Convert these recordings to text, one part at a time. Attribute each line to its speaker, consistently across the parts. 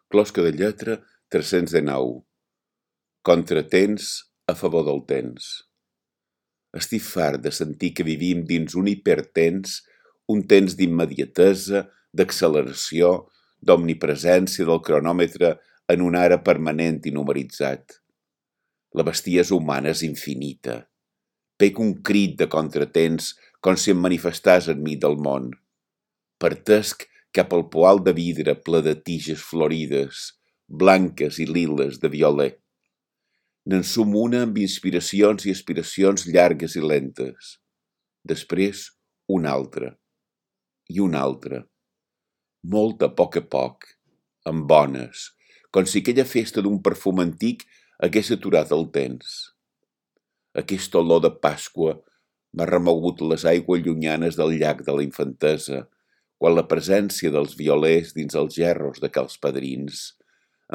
Speaker 1: Closca de lletra 319. Contratens a favor del temps. Estic fart de sentir que vivim dins un hipertens, un temps d'immediatesa, d'acceleració, d'omnipresència del cronòmetre en un ara permanent i numeritzat. La bestiesa humana és infinita. Pec un crit de contratens com si em manifestàs enmig del món. Partesc cap al poal de vidre ple de tiges florides, blanques i liles de violer. N'ensum una amb inspiracions i aspiracions llargues i lentes. Després, una altra. I una altra. Molt a poc, amb bones, com si aquella festa d'un perfum antic hagués aturat el temps. Aquesta olor de Pasqua m'ha remogut les aigües llunyanes del llac de la infantesa, quan la presència dels violers dins els gerros de cals padrins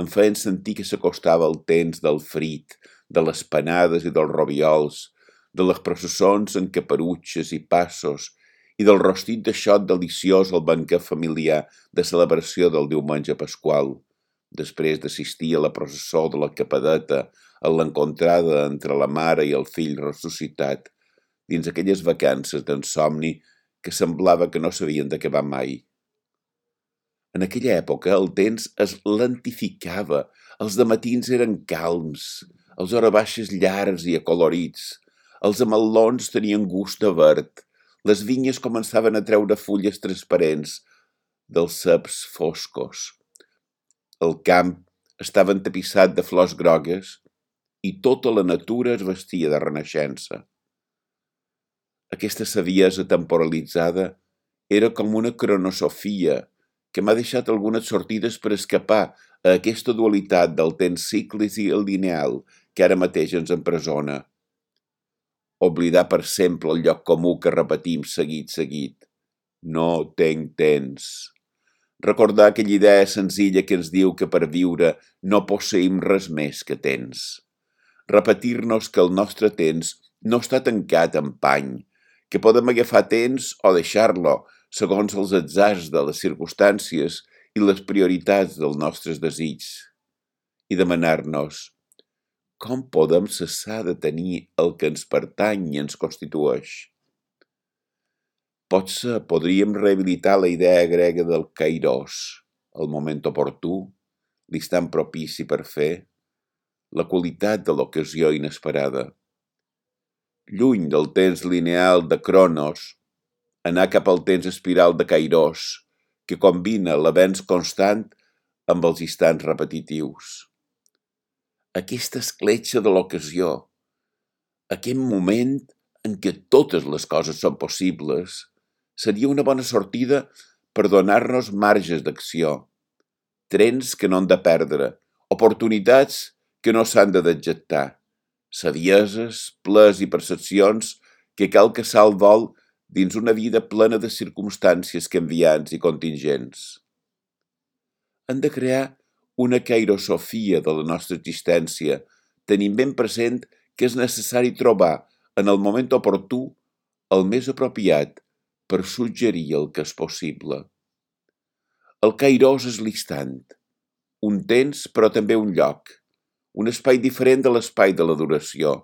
Speaker 1: em feien sentir que s'acostava el temps del frit, de les panades i dels robiols, de les processons en caperutxes i passos i del rostit de xot deliciós al banquet familiar de celebració del diumenge pasqual, després d'assistir a la processó de la capadeta, a l'encontrada entre la mare i el fill ressuscitat, dins aquelles vacances d'ensomni que semblava que no s'havien d'acabar mai. En aquella època el temps es lentificava, els dematins eren calms, els horabaixes llargs i acolorits, els ametllons tenien gust de verd, les vinyes començaven a treure fulles transparents dels ceps foscos. El camp estava entapissat de flors grogues i tota la natura es vestia de renaixença. Aquesta saviesa temporalitzada era com una cronosofia que m'ha deixat algunes sortides per escapar a aquesta dualitat del temps cíclic i el lineal que ara mateix ens empresona. Oblidar per sempre el lloc comú que repetim seguit. No tenc temps. Recordar aquella idea senzilla que ens diu que per viure no posseïm res més que temps. Repetir-nos que el nostre temps no està tancat en pany, que podem agafar temps o deixar-lo, segons els atzars de les circumstàncies i les prioritats dels nostres desigs, i demanar-nos com podem cessar de tenir el que ens pertany i ens constitueix. Potser podríem rehabilitar la idea grega del kairos, el moment oportú, l'instant propici per fer, la qualitat de l'ocasió inesperada. Lluny del temps lineal de Cronos, anar cap al temps espiral de Kairos, que combina l'avenç constant amb els instants repetitius. Aquesta escletxa de l'ocasió, aquest moment en què totes les coses són possibles, seria una bona sortida per donar-nos marges d'acció, trens que no han de perdre, oportunitats que no s'han de dejectar, savieses, plers i percepcions que cal caçar al vol dins una vida plena de circumstàncies canviants i contingents. Hem de crear una kairosofia de la nostra existència, tenint ben present que és necessari trobar en el moment oportú el més apropiat per suggerir el que és possible. El kairos és l'instant, un temps però també un lloc, un espai diferent de l'espai de la duració,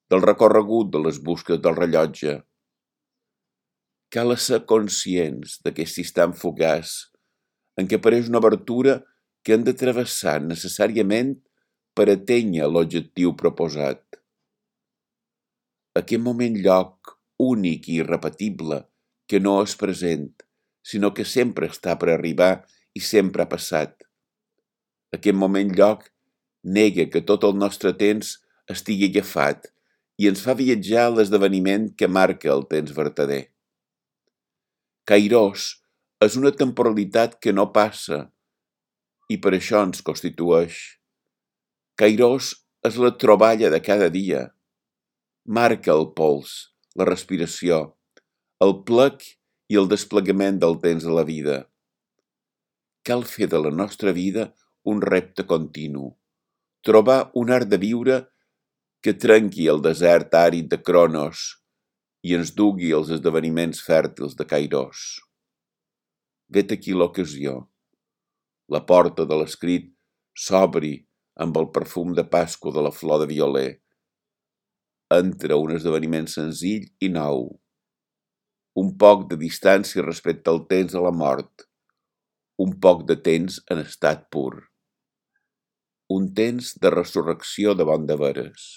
Speaker 1: del recorregut de les busques del rellotge. Cal ser conscients d'aquest instant fugaç en què apareix una obertura que hem de travessar necessàriament per atènyer l'objectiu proposat. Aquest moment-lloc únic i irrepetible que no és present, sinó que sempre està per arribar i sempre ha passat. Aquest moment-lloc nega que tot el nostre temps estigui agafat i ens fa viatjar a l'esdeveniment que marca el temps vertader. Kairos és una temporalitat que no passa i per això ens constitueix. Kairos és la troballa de cada dia. Marca el pols, la respiració, el plec i el desplegament del temps de la vida. Cal fer de la nostra vida un repte continu, trobar un art de viure que trenqui el desert àrid de Cronos i ens dugui als esdeveniments fèrtils de Kairos. Vet aquí l'ocasió, la porta de l'escrit s'obri amb el perfum de Pasqua de la flor de violer. Entra un esdeveniment senzill i nou. Un poc de distància respecte al temps de la mort. Un poc de temps en estat pur. Un temps de resurrecció davant de veres.